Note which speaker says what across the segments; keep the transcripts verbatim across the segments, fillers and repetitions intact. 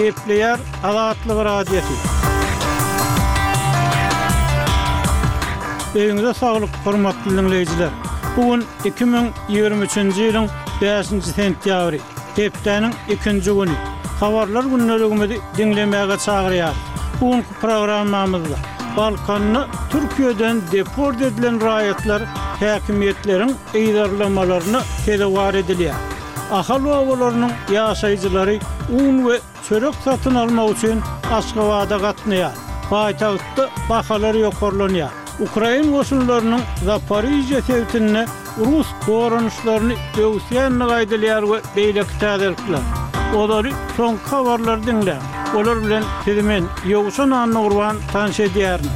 Speaker 1: Gepleýär Azatlyk Radiosy. Öýüňize saglyk, hormatly diňleýjiler. Bu gün iki müň ýigrimi üçünji ýylyň bäşinji sentýabry, hepdäniň ikinji güni. Habarlar gündeligimizi diňlemäge çagyrýarys. Bu günki programmamyzda Balkanda Türkiýeden deport edilen raýatlar häkimiýetleriň yzarlamalaryna sezewar edilýär. Ahal obalarynyň ýaşaýjylary un we çörek satyn almak üçin Aşgabada gatnaýar. Paýtagtda bahalar ýokarlanýar. Ukrain goşunlarynyň Zaporižýa sebitinde rus goranyşlaryny böwüsýändigi aýdylýar we beýleki täzelikler. Olary soňky habarlary diňläň. Olar bilen sizi men, Ýowşan Annagurban tanyş edýärin.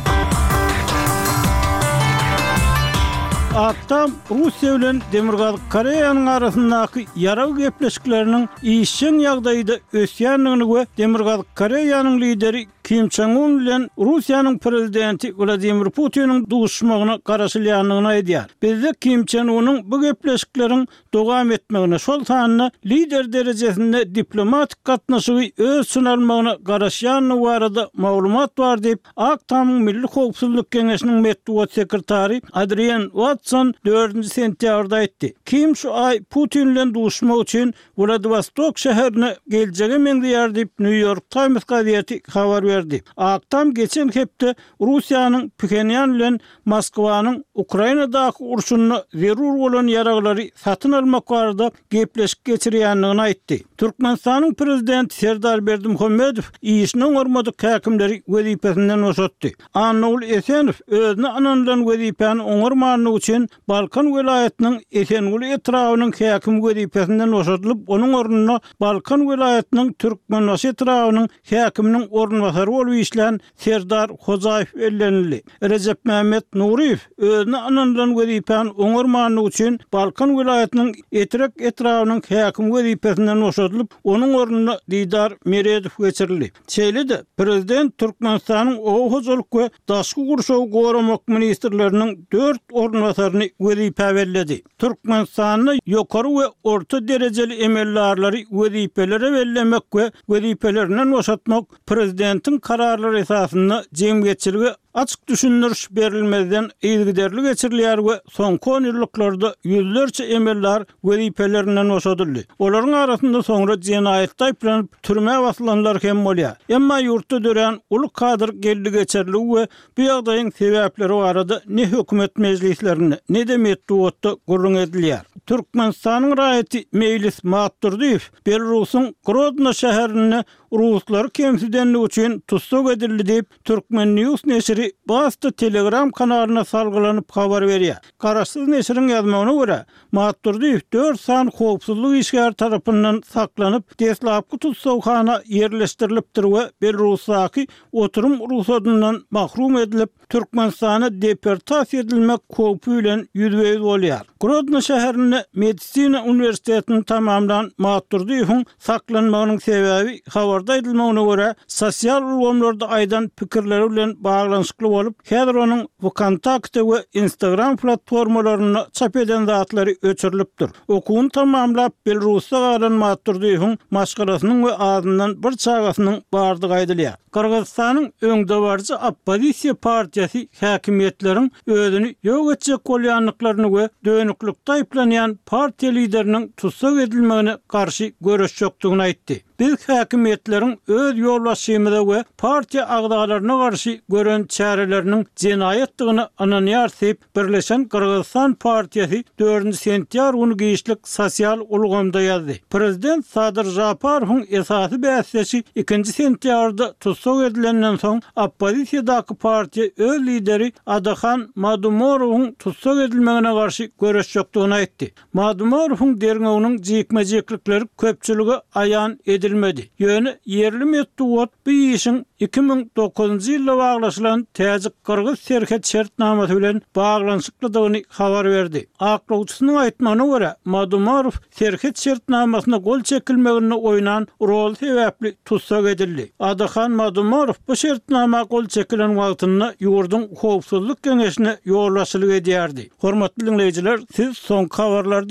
Speaker 1: Ak Tam Russiýa bilen Demirgazyk Koreýanyň arasyndaky ýarag gepleşikleriniň işjeň ýagdaýda ösýändigini we Demirgazyk Koreýanyň lideri Kim Çen Un bilen Russiýanyň prezidenti Wladimir Putiniň duşuşmagyna garaşylýandygyny aýdýar. Bizde Kim Çen Unyň bu gepleşikleriň dowam etmegine, şol sanda lider derejesinde diplomatik gatnaşygy öz içine almagyna garaşýandygy barada maglumat bar diýip, Ak Tamyň Milli howpsuzlyk geňeşiniň metbugat sekretary Adrian Watson dördünji sentýabrda aýtdy. Kim şu aý Putin bilen duşuşmak üçin Wladiwostok şäherine geljege meňzeýär diýip, New York Times gazeti habar berdi. Ak Tam geçen hepde Russiýanyň Phenýan bilen Moskwanyň Ukrainadaky urşunda zerur bolan ýaraglary satyn almak barada gepleşik geçirýändigini aýtdy. Türkmenistanyň Prezidenti Serdar Berdimuhamedow işini oňarmadyk häkimleri wezipesinden boşatdy. Annagul Esenow özüne ynanylan wezipäni oňarmanlygy üçin Balkan welaýatynyň Esenguly etrabynyň häkimi wezipesinden boşadylyp, onuň ornuna Balkan welaýatynyň Türkmenbaşy etrabynyň häkiminiň orunbasary bolup işlän Serdar Hojaýew bellenildi. Rejepmämmet Nuryýew özüne ynanylan wezipäni oňarmanlygy üçin Balkan welaýatynyň Etrek etrabynyň häkimi wezipesinden boşadylyp, onuň ornuna Didar Meredow geçirildi. Şeýle-de, prezident Türkmenistanyň Oba hojalyk we daşky gurşawy goramak ministrleriniň dört orunbasaryny wezipä belledi. Türkmenistanda ýokary we orta derejeli emeldarlary wezipelere bellemek we wezipelerinden boşatmak prezidentiň kararlary esasynda jemgyýetçilige açyk düşündiriş berilmezden yzygiderli geçirilýär we soňky onýyllyklarda ýüzlerçe emeldar wezipelerinden boşadyldy. Olaryň arasynda soňra jenaýatda aýyplanyp, türmä basylanlar hem bolýar. Emma ýurtda dörän uly kadr geldi-geçerligi we bu ýagdaýyň sebäpleri barada ne hökümet mejlislerinde, ne-de metbugatda gürrüň edilýär. Türkmenistanyň raýaty Meýlis Matdurdyýew Belarusyň Grodno şäherinde ruslary kemsidenligi üçin tussag edildi diýip, Turkmen News neşiri Basta Telegram kanalyna salgylanyp habar berýär. Garaşsyz neşiriň ýazmagyna görä, Matdurdyýew dört sany howpsuzlyk işgäri tarapyndan saklanyp, deslapky tussaghana ýerleşdirilipdir we Belarusdaky oturum rugsadyndan mahrum edilip, Türkmenistana deportasiýa edilmek howpy bilen ýüzbe-ýüz bolýar. Grodno şäherinde medisina uniwersitetini tamamlan Matdurdyýewiň saklanmagynyň sebäbi, habarda aýdylmagyna görä, sosial ulgamlarda aýdan pikirleri bilen baglanyşykly bolup, häzir onuň WKontakte we Instagram platformalarynda çap eden zatlary öçürilipdir. Okuwyny tamamlap, Belarusda galan Matdurdyýewiň maşgalasynyň we azyndan bir çagasynyň bardygy aýdylýar. Gyrgyzystanyň öňdebaryjy oppozisiýa partiýasy häkimiýetleriň özüni ýok etjek bolýandyklaryny we dönüklikde aýyplanýan partiýa lideriniň tussag edilmegine garşy göreşjekdigini aýtdy. Biz häkimiýetleriň öz ýolbaşçymyza we partiýa agzalaryna garşy gören çäreleriniň jenaýatdygyna ynanýarys diýip, Birleşen Gyrgyzystan partiýasy dördünji sentýabr güni giçlik sosial ulgamda ýazdy. Prezident Sadyr Žaparowyň esasy bäsdeşi ikinji sentýabrda tussag edilenden soň, oppozisiýadaky partiýa öz lideri Adahan Madumorowyň tussag edilmegine garşy göreşjekdigini aýtdy. Madumorowyň derňewiniň jikme-jiklikleri köpçülige aýan edilmedi. Ýöne ýerli metbugat bu işiň iki müň dokuzynjy ýylda baglaşylan täjik-gyrgyz serhet şertnamasy bilen baglanyşyklydygyny habar berdi. Aklawçysynyň aýtmagyna görä, Madumorow serhet şertnamasyna gol çekilmeginde oýnan roly sebäpli tussag edildi. Adahan Madumorow bu şertnama gol çekilen wagtynda ýurduň Howpsuzlyk geňeşine ýolbaşçylyk edýärdi. Hormatly diňleýjiler, siz soňky habarlary